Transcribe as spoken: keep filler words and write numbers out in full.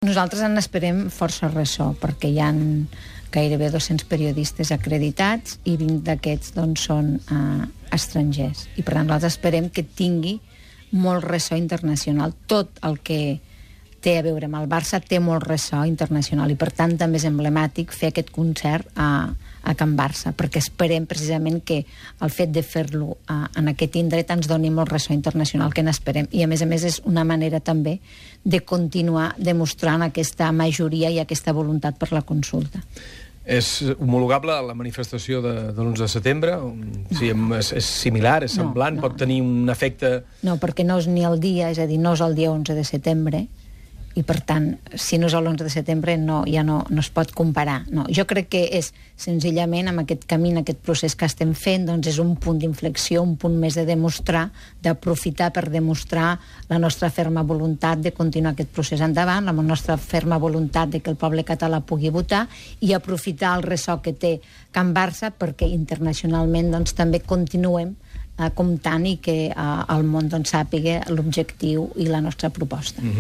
Nosaltres en esperem força ressò, perquè hi ha gairebé dos-cents periodistes acreditats i vint d'aquests doncs, són eh, estrangers. I per tant nosaltres esperem que tingui molt ressò internacional. Tot el que té a veure amb el Barça té molt ressò internacional i per tant també és emblemàtic fer aquest concert a, a Can Barça, perquè esperem precisament que el fet de fer-lo a, en aquest indret ens doni molt ressò internacional, que n'esperem. I a més a més és una manera també de continuar demostrant aquesta majoria i aquesta voluntat per la consulta. És homologable a la manifestació de, de l'onze de setembre? No. Sí, és, és similar, és semblant, no, no, pot tenir un efecte... No, perquè no és ni el dia, és a dir, no és el dia onze de setembre, i per tant, si no és l'onze de setembre no, ja no, no es pot comparar. No, jo crec que és senzillament amb aquest camí, aquest procés que estem fent, doncs és un punt d'inflexió, un punt més de demostrar, d'aprofitar per demostrar la nostra ferma voluntat de continuar aquest procés endavant, la nostra ferma voluntat de que el poble català pugui votar i aprofitar el ressò que té Can Barça perquè internacionalment doncs, també continuem eh, comptant i que eh, el món doncs, sàpiga l'objectiu i la nostra proposta. Mm-hmm.